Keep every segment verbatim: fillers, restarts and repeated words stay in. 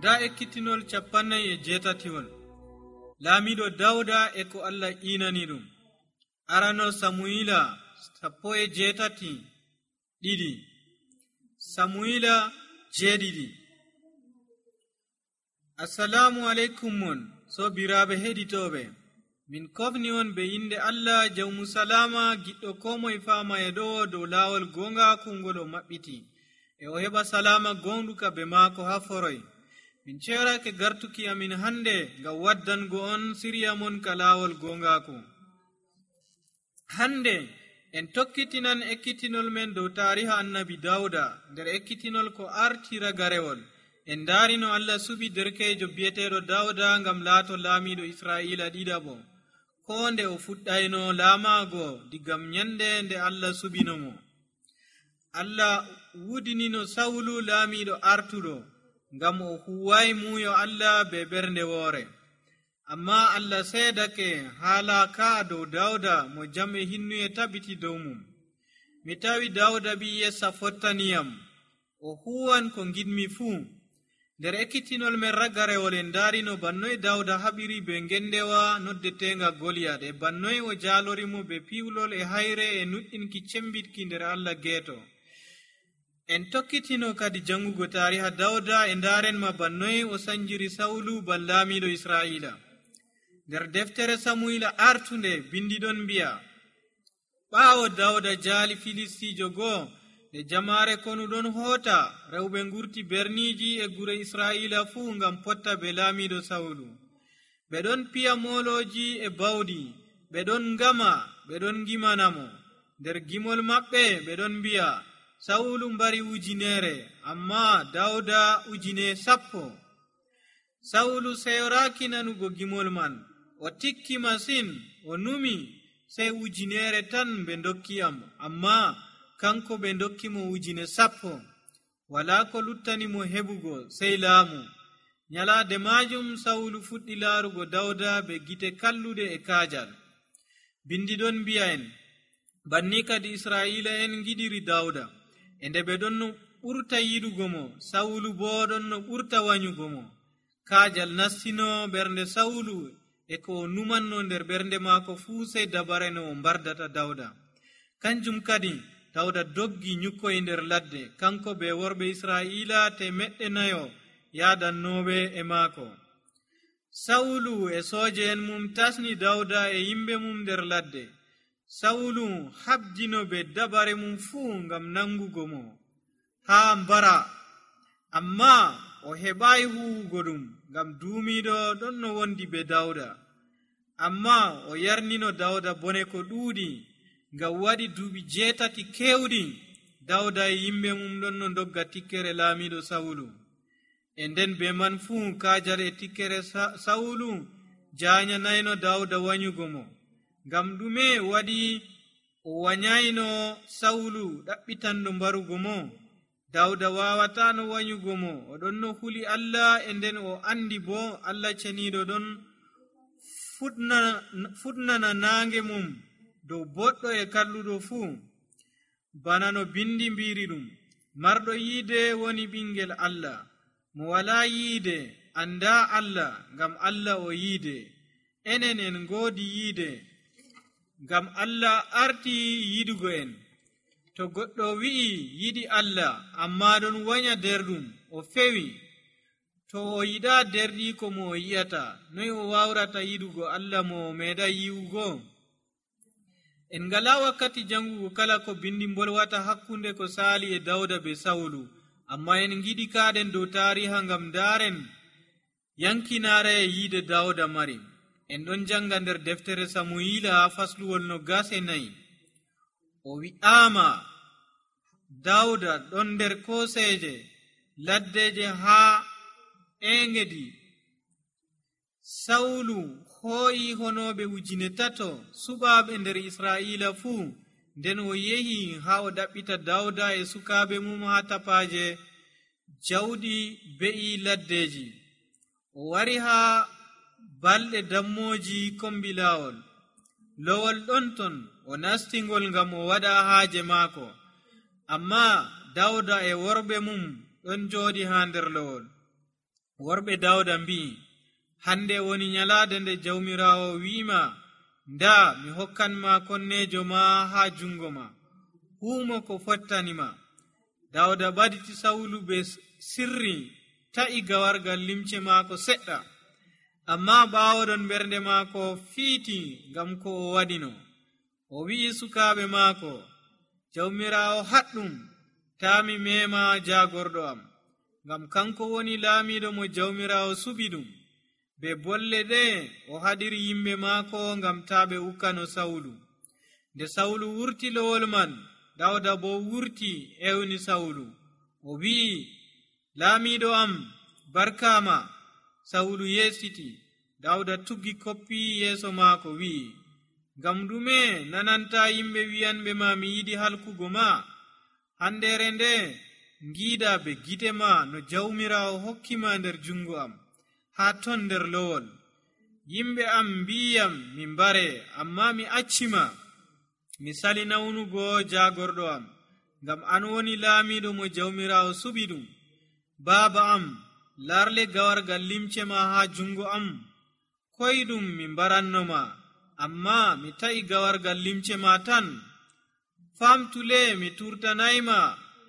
Da ekkitinol capannay e jeetatiwol. Laamiiɗo Dawda e ko Allah iinani ɗum. Arano Samuyila sappo e jeetati ɗiɗi. Samuyila jeeɗiɗi. Assalamu aleykum mon sobiraaɓe heɗitooɓe. Min kofni on be inde Allah jawmu salama giɗɗo ko moye faama e ɗo dow laawol goongaaku ngol o maɓɓiti, e o heɓa salama gonɗuka be maako haa foroy. Min ceerake gartuki amin hande ngam waddango on siriya mon ka laawol goongaaku. Hande en tokkitinan ekkitinol men dow taariha annabi Dawda nder ekkitinol ko arti ragarewol. En ndaarino Allah suɓi derkeejo bi'eteeɗo Dawda ngam laato laamiiɗo Israa'iila ɗiɗaɓo, ko nde o fuɗɗayno laamaago digam nyande nde Allah suɓino mo. Allah wudinino Sawulu laamiiɗo artuɗo ngam o huway muuyo Allah be ɓernde woore. Amma Allah seedake haala ka dow Dawda mo jam e hinnuye tabiti dow mum. Mi tawi Dawda ɓi Yessa fottaniyam, o huwan ko ngidmi fuu. Nder ekkitinol men ragarewol en ndaarino bannoy Dawda haɓiri be ngendewa noddetenga Goliyat, e bannoy o jaalorimo be piwlol e hayre e nuɗɗinki cembitki nder Allah geeto. En tokkitino kadi jangugo taariha Dawda e ndaarenma bannoy o sanjiri Sawulu ban laamiiɗo Israa'iila. Nder deftere Samuyila artunde bindiɗon mbi'a, ɓaawo Dawda jaali Filistiijo goo e jamaare konuɗon hoota, rewɓe ngurti berniiji e gure Israa'iila fuu ngam potta be laamiiɗo Sawulu. Ɓe ɗon piya moolooji e bawɗi, ɓe ɗon ngama, ɓe ɗon gimanamo. Nder gimol maɓɓe ɓe ɗon mbi'a, Sawulu mbari ujineere, amma Dawda ujine sappo. Sawulu seyoraaki nanugo gimol man, o tikki masin, o numi, sey ujineere tan ɓe dokkiyam, amma kanko ɓe dokkimo ujine sappo. Walaa ko luttanimo heɓugo sey laamu. Nyalaade maajum Sawulu fuɗɗi laarugo Dawda be gite kallude e kaajal. Bindiɗon mbi'a en, banni kadi Israa'iila en giɗiri Dawda, e nde ɓe ɗon no ɓurta yiɗugo mo, Sawulu boo ɗon no ɓurta wanyugo mo. Kaajal nastino ɓernde Sawulu, e ko o numanno nder ɓernde maako fuu sey dabare no o mbardata Dawda. Kanjum kadi Dawda doggi nyukkoy nder ladde, kanko be worɓe Israa'iila temeɗɗe nayo yaadannooɓe e maako. Sawulu e sooje en mum tasni Dawda e yimɓe mum nder ladde. Sawulu habdino be dabare mum fuu ngam nangugo mo haa mbara, amma o heɓaayi huwugo ɗum ngam duumiiɗo ɗon no wondi be Dawda. Amma o yarnino Dawda bone ko ɗuuɗi, ngam waɗi duuɓi jeetati keewɗi Dawda e yimɓe mum ɗon no dogga tikkere laamiiɗo Sawulu. E nden be man fuu kaajal e tikkere Sawulu jaanyanayno Dawda wanyugo mo. Ngam ɗume waɗi o wanyayno Sawulu ɗaɓɓitanɗo mbarugo mo? Dawda waawataano wanyugo mo, o ɗon no huli Allah, e nden o andi bo Allah ceniiɗo ɗon fuɗnana naange mum dow boɗɗo e kalluɗo fuu. Bana no bindi mbiri ɗum, marɗo yiide woni ɓingel Allah, mo walaa yiide andaa Allah, ngam Allah o yiide. Enen en ngoodi yiide, ngam Allah arti yiɗugo en. To goɗɗo wi'i yiɗi Allah, amma ɗon wanya nder ɗum, o fewi. To o yiɗaa derɗi ko mo o yi'ata, noy o wawrata yiɗugo Allah mo o meeɗa yi'ugo? En ngalaa wakkati jangugo kala ko bindi mbolwata hakkunde ko saali e Dawda be Sawulu, amma en giɗi kaaɗen dow taariha ngam ndaaren yankinaare e yiide Dawda mari. En ɗon janga nder deftere Samuyila fasluwol no gase nayi. O wi'aama Dawda ɗon nder kooseeje laddeje haa Engedi. Sawulu hooyi honooɓe ujine tato suɓaaɓe nder Israa'iila fuu, nden o yehi haa o ɗaɓɓita Dawda e sukaaɓe mum haa tapaaje jawɗi be'i laddeji. O wari haa balɗe dammooji kombi laawol. Lowol ɗon ton o nastingol ngam o waɗa haaje maako, amma Dawda e worɓe mum ɗon jooɗi haa nder lowol. worɓe dawda mbi'i, hande woni nyalaade nde jawmiraawo wi'ima, nda mi hokkanma konnejo ma ha jungo ma, huumo ko fottanima. dawda ɓaditi sawlu be sirri ta'i gawargal limce maako seɗɗa, amma ɓawoɗon ɓernde maako fiiti ngam ko o waɗino. o wi'i sukaaɓe maako, jawmiraawo haɗɗum taami mema jagorɗo am, ngam kanko woni laamiɗo mo jawmiraawo suɓi ɗum. be bolle ɗe o haɗiri yimɓe maako ngam taɓe ukkano sawlu. nde sawlu wurti lowol man, dawda bo wurti ewni sawlu. o wi'i, laamiɗo am barkama. sawlu yesiti. dawda tuggi koppi yeeso maako wi'i, ngam ɗume nananta yimɓe wi'anɓe ma mi yiɗi halkugo ma? handere nde ngiida be gite ma no jawmiraawo hokkima nder jungo am ha ton nder lowol. yimɓe am mbiyam mi mbare, amma mi accima. mi sali nawnugo jagorɗo am, ngam an woni laamiɗo mo jawmiraawo suɓi ɗum. baaba am, larle gawargal limce ma ha jungo am. koyɗum mi mbarannoma, amma mi ta'i gawargal limce ma tan. famtule mi turtanayma,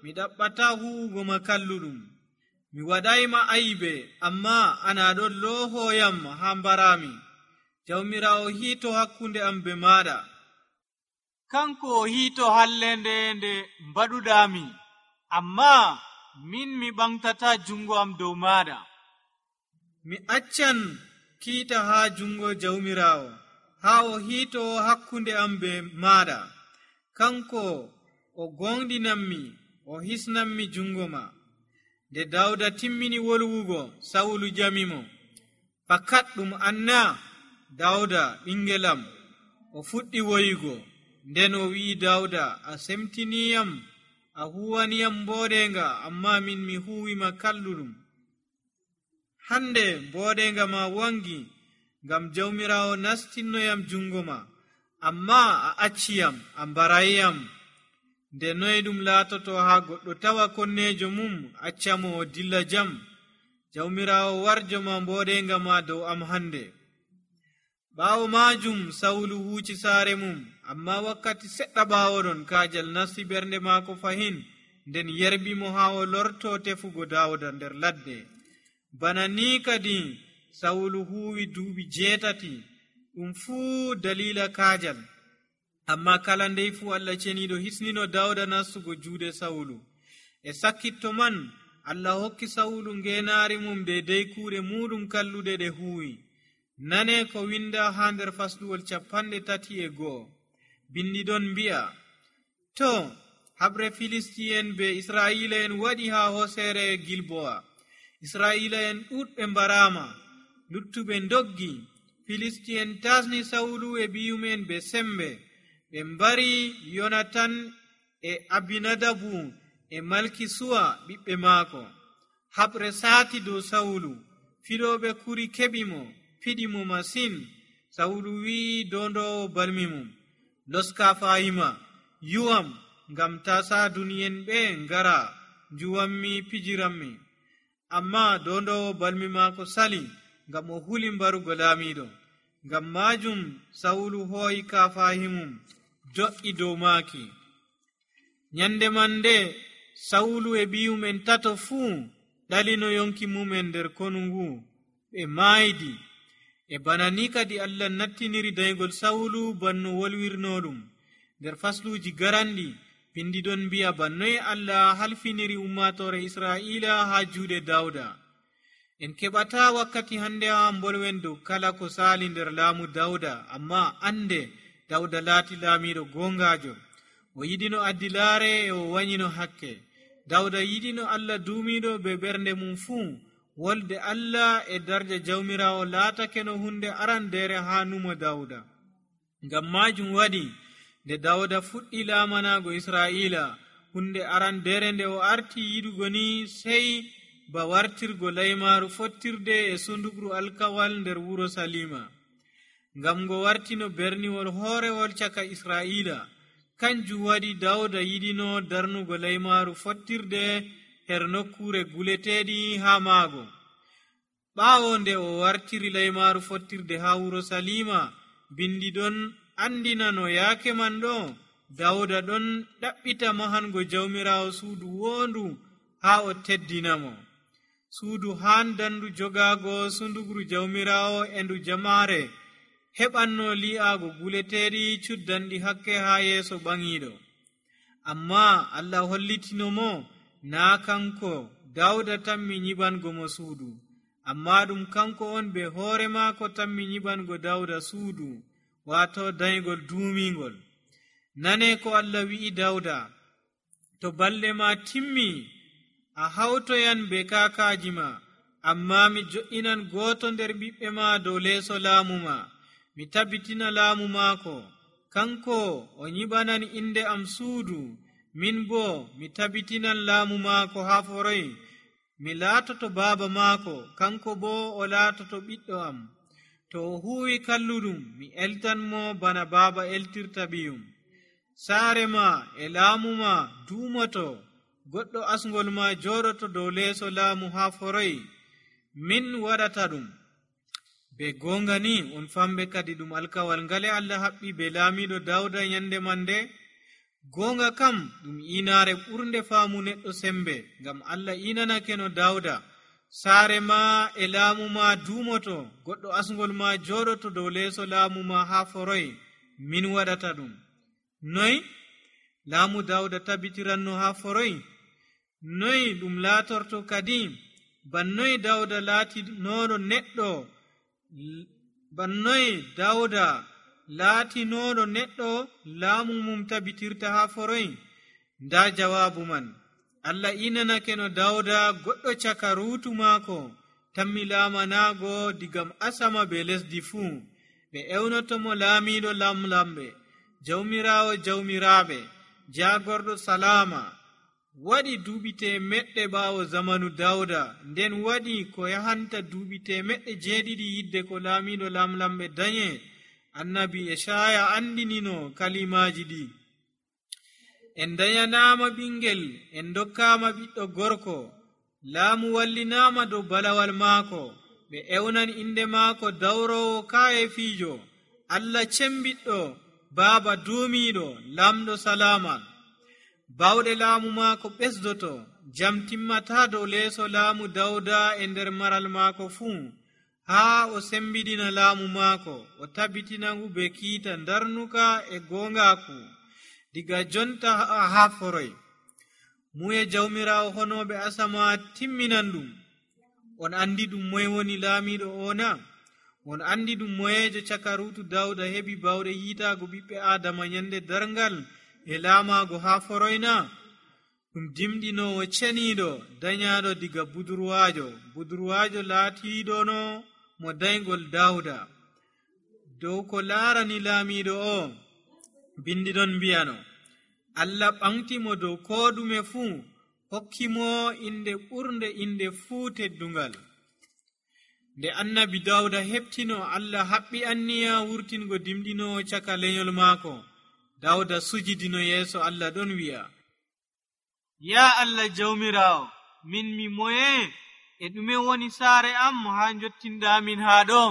mi ɗaɓɓata huwugo ma kalluɗum. mi waɗayma aybe, amma ana ɗon loohoyam ha mbarami. jawmiraawo hiito hakkunde am be maɗa. kanko o hiito hallende nde mbaɗuɗami, amma min mi ɓamtata jungo am dow maɗa. mi accan kiita ha jungo jawmiraawo ha o hiito hakkunde am be maɗa. kanko o gonɗinanmi, o hisnanmi jungo ma. nde dawda timmini wolwugo, sawlu jamimo, fakat ɗum anna? dawda ɓingelam. o fuɗɗi woyugo. nden o wi'i dawda, a semtiniyam, a huwaniyam mboɗenga, amma min mi huwima kalluɗum. hande mboɗenga ma wangi, ngam jawmiraawo nastinnoyam jungo ma, amma a acciyam, a mbarayyam. nde noy ɗum laatoto ha goɗɗo tawa konnejo mum accamo o dilla jam? jawmiraawo warjo ma mboɗenga ma dow am hande. ɓaawo majum sawlu huuci saare mum, amma wakkati seɗɗa ɓaawoɗon kaajal nasti ɓernde maako fahin, nden yerbimo ha o lorto tefugo dawda nder ladde. bana ni kadi sawlu huwi duuɓi jeetati, ɗum fuu dalila kaajal. amma kala ndey fuu Allah ceniɗo hisnino dawda nastugo juuɗe sawlu. e sakkitto man Allah hokki sawlu ngenaari mum deydey kuuɗe muɗum kalluɗe ɗe huwi. nane ko winda ha nder fasluwol capanɗe tati e go'o. bindi ɗon mbi'a, to haɓre filisti'en be israila'en waɗi ha hosere gilbowa. israila'en ɗuɗɓe mbarama, luttuɓe doggi. filisti'en tasni sawlu e ɓiyumen be sembe. ɓe mbari yonatan e abinadabu e malki suwa ɓiɓɓe maako. haɓre saati dow sawlu. fiɗoɓe kuri keɓi mo, fiɗi mo masin. sawlu wi'i dondowo balmi mum, loska fayima, yuwam, ngam ta saaduni'en ɓe ngara njuwanmi pijiranmi. amma dondowo balmi maako sali, ngam o huli mbarugo laamiɗo. ngam majum sawlu hooyi kafahimum do'i dow maaki. nyande man nde sawlu e ɓiyumen tato fuu ɗalino yonki mumen nder konungu, ɓe maaydi. e bana ni kadi Allah nattiniri daygol sawlu banno wolwirno ɗum. nder fasluji garanɗi pindi ɗon mbi'a bannoye Allah halfiniri ummatore Israila ha juuɗe Dawda. en keɓata wakkati hande ha bolwen dow kala ko sali nder laamu Dawda, amma ande Dawda laati laamiɗo gongajo. o yiɗino addilaare e o wanyino hakke. Dawda yiɗino Allah duumiɗo be ɓernde mum fuu. wolde Allah e darja jawmirawo laatake no hunde arandere ha numo Dawda. ngam majum waɗi nde Dawda fuɗɗi laamanago Israila, hunde arandere nde o arti yiɗugo ni sey ba wartirgo laymaru fottirde e sundugru alkawal nder wuro Salima. ngam ngo wartino berniwol hoorewol caka Israila. kanjum waɗi Dawda yiɗino darnugo laymaru fottirde her nokkure guleteɗi ha maago. ɓaawo nde o wartiri laymaaru fottirde haa wuro salima, bindi ɗon andina no yaake man ɗo dawda ɗon ɗaɓɓita mahango jawmiraawo suudu woondu haa o teddinamo. Suudu haandandu jogaago sundugru jawmiraawo e ndu jamaare heɓanno li'aago guleteeɗi cuddanɗi hakke haa yeeso ɓaŋiiɗo. Amma Allah hollitino mo naa kanko dawda tammi nyiɓango mo suudu, amma ɗum kanko on be hoore maako tammi nyiɓango dawda suudu, waato dayngol duumingol. Nane ko Allah wi'i dawda, to balɗe ma timmi a hawtoyan be kaakaaji ma, amma mi jo'inan gooto nder ɓiɓɓe ma dow leeso laamu ma, mi tabbitina laamu maako. Kanko o nyiɓanan inde am suudu, min bo mi tabbitinan laamu maako haa foroy. Mi laatoto baaba maako, kanko bo o laatoto ɓiɗɗo am. To o huuwi kalluɗum, mi eltan mo bana baaba eltirta ɓiyum. Saare ma e laamu ma duumoto, goɗɗo asngol ma jooɗoto dow leeso laamu haa foroy. Min waɗata ɗum. Be goonga ni on famɓe kadi ɗum alkawal ngale Allah haɓɓi be laamiiɗo Dawda nyande man nde. Goonga kam ɗum inaare ɓurnde faamu neɗɗo sembe, ngam Allah inanake no Dawda. Saare ma e laamu ma duumoto, goɗɗo asngol ma jooɗoto dow leeso laamu ma haa foroy. Min waɗata ɗum. Noy laamu Dawda tabbitiranno haa foroy? Noy ɗum laatorto kadi? Bannoy Dawda laati nooɗo neɗɗo bannoy Dawda laatinoɗo neɗɗo laamu mum tabbitirta haa foroy? Nda jawaabu man. Allah inanake no Dawda goɗɗo caka ruutu maako tammi laamanaago digam asama be lesdi fuu. Ɓe ewnotomo laamiiɗo lamlamɓe, jawmiraawo jawmiraaɓe, jaagorɗo salaama. Waɗi duuɓi temeɗɗe ɓaawo zamanu Dawda, nden waɗi ko yahanta duuɓi temeɗɗe jeeɗiɗi yidde ko laamiiɗo lamlamɓe danye. Annabi Eshaya andinino kalimaaji ɗi: en dayanaama ɓingel, en dokkaama ɓiɗɗo gorko, laamu wallinaama dow balawal maako. Ɓe ewnan inde maako dawrowo kaayefiijo, Allah cembiɗɗo, baaba duumiiɗo, lamɗo salaama. Bawɗe laamu maako ɓesdoto, jam timmataa dow leeso laamu Dawda e nder maral maako fuu, haa o sembiɗina laamu maako, o tabbitina ngu be kiita darnuka e goongaaku, diga jonta haa foroy. Muye jawmiraawo honooɓe asama timminan ɗum. On andi ɗum moye woni laamiiɗo ona? On andi ɗum moyejo caka ruutu Dawda heɓi bawɗe yiitaago ɓiɓɓe Aadama nyande darngal e laamaago haa foroyna? Ɗum dimɗinoowo ceniiɗo danyaaɗo diga budurwaajo. Budurwaajo laatiiɗono mo dayngol Dawda. Dow ko laarani laamiiɗo o, bindi ɗon mbiyano, Allah ɓamtimo dow koo ɗume fuu, hokkimo inde ɓurnde inde fuu teddungal. Nde annabi Dawda heɓtino Allah haɓɓi anniya wurtingo dimɗinoowo caka lenyol maako, Dawda sujidino yeeso Allah ɗon wi'a: Ya Allah jawmiraawo, min mi moye? E ɗume woni saare am haa jottinɗamin haa ɗo?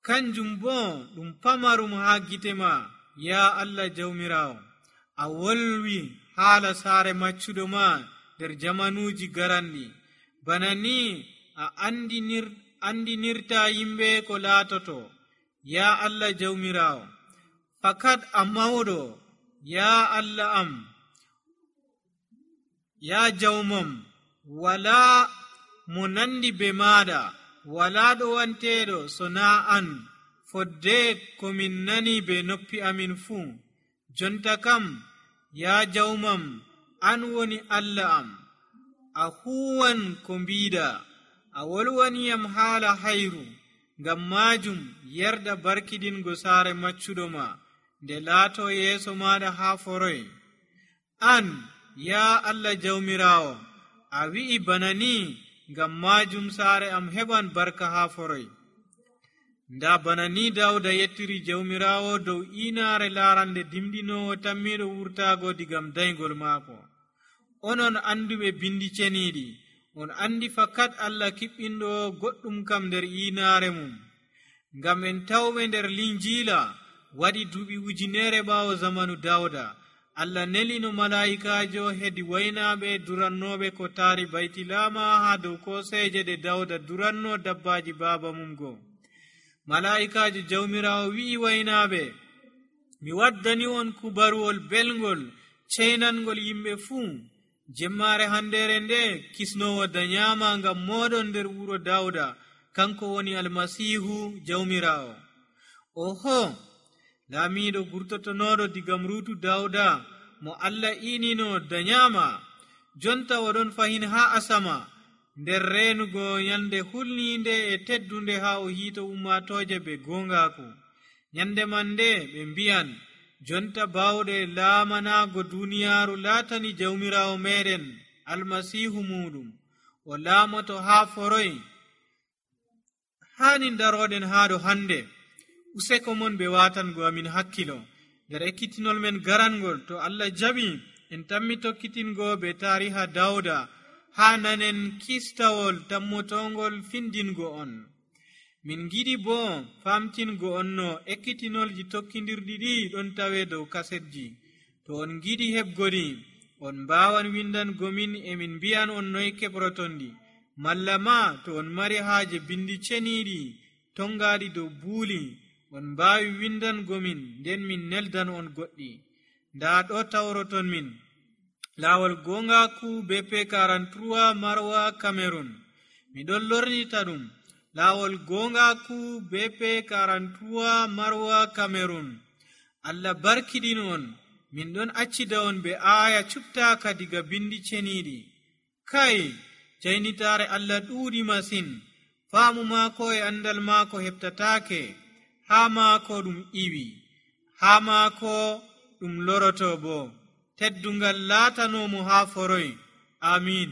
Kanjum bo ɗum pamarum haa gite ma, ya Allah jawmiraawo. A wolwi haala saare maccuɗo ma nder jamanuuji garanɗi. Bana ni a andinir, andinirta yimɓe ko laatoto, ya Allah jawmiraawo. Fakat a mawɗo, ya Allah am. Ya jawmam, wala mo nandi be maɗa, wala ɗo wanteɗo so naa an, fodde ko min nani be noppi amin fuu. Jonta kam, ya jawmam, an woni Allah am. A huwan ko mbiɗa, a wolwaniyam haala hayru. Ngam maajum yerda barkidingo saare maccuɗo ma, nde laato yeeso maɗa haa foroy. An, ya Allah jawmiraawo, a wi'i bana ni, ngam maajum saare am heɓan barka haa foroy. Nda bana ni Dawda yettiri jawmiraawo dow inaare laarande dimɗinoowo tammiɗo wurtaago digam dayngol maako. Onon anduɓe bindi ceniiɗi, on andi fakat Allah kiɓɓinɗo goɗɗum kam nder yiinaare mum, ngam en tawɓe nder linjiila waɗi duuɓi ujunere ɓaawo zamanu Dawda. Allah nelino malaa'ikaajo hedi waynaaɓe durannooɓe ko taari baytilama haa dow koseeje ɗe Dawda duranno dabbaaji baaba mum goo. Malaa'ikaajo jawmiraawo wi'i waynaaɓe, mi waddani on kubaruwol belngol ceynangol yimɓe fuu. Jemmaare handere nde kisnowo danyama ngam moɗon nder wuro Dawda, kanko woni almasihu jawmiraawo. Oho, laamiiɗo gurtotonoɗo diga mruutu Dawda mo Allah inino danyama, jonta oɗon fahin haa asama nder reenugo nyande hulniinde e teddunde haa o hiito ummatooje be gongaku. Nyande man nde ɓe mbiyan, jonta bawɗe laamanaago duniyaaru laatani jawmiraawo meɗen almasihu muɗum. O laamoto haa foroy. Haani daroɗen haa ɗo hande. Useko mon ɓe waatango amin hakkilo nder ekkitinol men garangol. To Allah jaɓi en tammi tokkitingo be taariha Dawda haa nanen kistawol tammotongol findingo on. Min giɗi bo famtingo on no ekkitinolji tokkidirɗi ɗi ɗon tawe dow kasetji. To on giɗi heɓgodi, on mbawan windangomin emin mbiyan on noy keɓrotonɗi. Malla ma to on mari haaje bindi ceniɗi tongaɗi dow buuli, on mbawi windangomin nden min neldan on goɗɗi. Nda ɗo tawroton min laawol gongaku B P quarante-trois Marwa Cameroon. Miɗon lornita ɗum laawol gongaku B P quarante-trois Marwa Cameroon. Allah barkiɗin on. Min ɗon accida on be aya cuɓtaka diga bindi ceniɗi. Kai, jaynitaare Allah ɗuuɗi masin. Faamu maako e andal maako heɓtatake. Haa maako ɗum iwi, haa maako ɗum loroto bo. Teddungal laatanomo haa foroy. Amin.